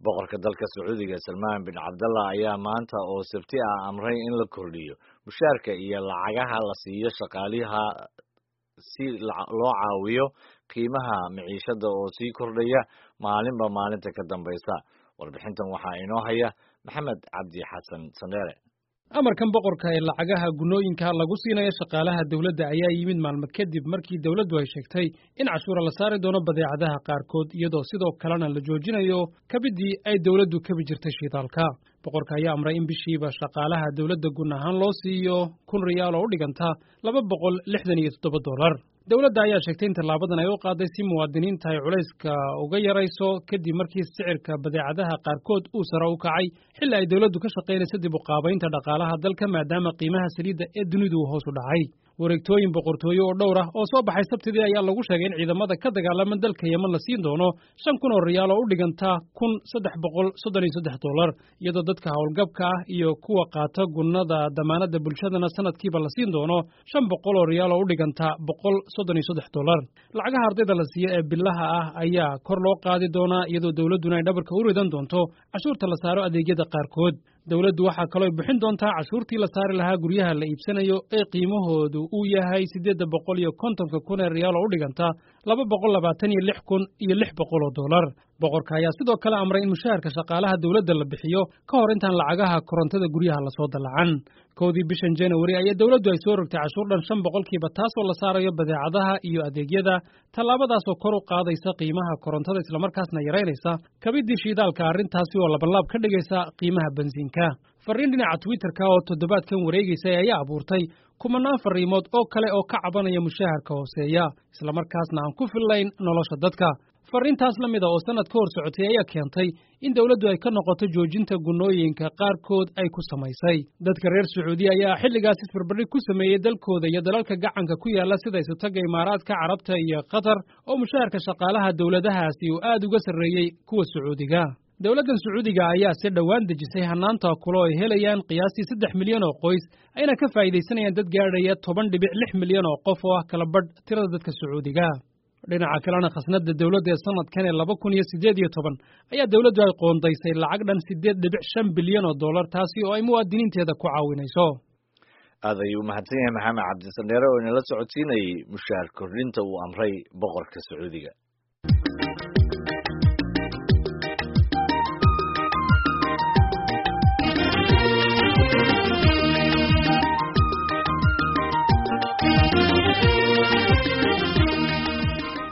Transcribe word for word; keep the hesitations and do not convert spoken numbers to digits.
Boqorka dalka Sacuudiga Salmaan bin Cabdallah ayaa maanta oo Sabti ah amray in la kordhiyo mushaarka iyo lacagaha la siiyo shaqaalaha si loo caawiyo qiimaha maciishada oo sii kordhaya maalinba maalinta ka dambaysa. Warbixintan waxaa inoo haya Maxamed Cabdi Xasan Sandheere. Amarkan boqorka ee lacagaha gunooyinka lagu siinayo shaqaalaha dowladda ayaa yimid maalmo kadib markii dowladdu ay sheegtay in cashuura la saari doono badeecadaha qaarkood, iyadoo sidoo kalena la joojinayo kabidii ay dowladdu kabi jirtay shidaalka. Boqorka ayaa amray in bishiiba shaqaalaha dowladda gun ahaan loo siiyo kun riyaal oo u dhiganta laba boqol lixdan iyo toddoba dollar. Dowladda ayaa sheegtay in tallaabadan ay u qaaday si muwaadiniinta ay culayska uga yarayso, kadib markii sicirka badeecadaha qaarkood uu sare u kacay xilli ay dowladdu ka shaqaynayso dib u qaabaynta dhaqaalaha dalka, maadaama qiimaha saliidda ee dunidu uu hoos u dhacay. Wareegtooyin boqortooyo oo dhowr ah oo soo baxay Sabtidii ayaa lagu sheegay in ciidamada ka dagaalama dalka Yemen la siin doono shan kun oo riyaal oo u dhiganta kun saddex boqol soddon iyo saddex dollar, iyadoo dadka howlgabka ah iyo kuwa qaata gunnada damaanadda bulshadana sanadkiiba la siin doono shan boqol oo riyaal oo u dhiganta boqol soddon iyo saddex dollar. Lacagaha ardayda la siiyo ee bilaha ah ayaa kor loo qaadi doonaa, iyadoo dowladduna ay dhabarka u ridan doonto cashuurta la saaro adeegyada qaarkood. Dowladdu waxaa kaloo ay bixin doontaa cashuurtii la saari lahaa guryaha la iibsanayo ee qiimahoodu uu yahay siddeedda boqol iyo kontonka kun ee riyaal oo u dhiganta laba boqol labaatan iyo lix kun iyo lix boqol oo dollar. Boqorka ayaa sidoo kale amray in mushaharka shaqaalaha dowladda la bixiyo ka hor intaan lacagaha korontada guryaha lasoo dallacan. Kowdii bishan January ayaa dowladdu ay soo rogtay cashuur dhan shan boqolkiiba, taasoo la saarayo badeecadaha iyo adeegyada, tallaabadaasoo kor u qaadaysa qiimaha korontada islamarkaasna yaraynaysa kabidii shiidaalka, arrintaasi oo labanlaab ka dhigaysa qiimaha bensiinka. Farriin dhinaca Twitterka oo toddobaadkan wareegaysay ayaa abuurtay kumanaan farriimood oo kale oo ka cabanaya mushaharka hooseeya islamarkaasna aan ku fillayn nolosha dadka. Farriintaas la mid a oo sannad ka hor socotay ayaa keentay in dowladdu ay ka noqoto joojinta gunnooyinka qaarkood ay ku samaysay. Dadka reer Sacuudiya ayaa xilligaas isbarbardhig ku sameeyey dalkooda iyo dalalka gacanka ku yaalla, sida Isutaga Imaaraadka Carabta iyo Qatar, oo mushaharka shaqaalaha dowladahaasi uu aad uga sarreeyey kuwa Sacuudiga. Dowladdan Sacuudiga ayaa si dhowaan dejisay hanaanta kulo ay helayaan qiyaastii saddex milyan oo qoys, ayna ka faa'iidaysanayaan dad gaadhaya toban dhibic lix milyan oo qof oo ah kala badh tirada dadka Sacuudiga. Dhinaca kalena, khasnadda dowladda ee sanadkan ee laba kun iyo siddeed iyo toban ayaa dowladdu ay qoondaysay lacag dhan siddeed dhibic shan bilyan oo dollar, taasi oo ay muwaadiniinteeda ku caawinayso. Aad ayuu umahadsan yahay Maxamed Cabdisandheere oo inala socodsiinayay mushaar kordhinta uu amray boqorka Sacuudiga.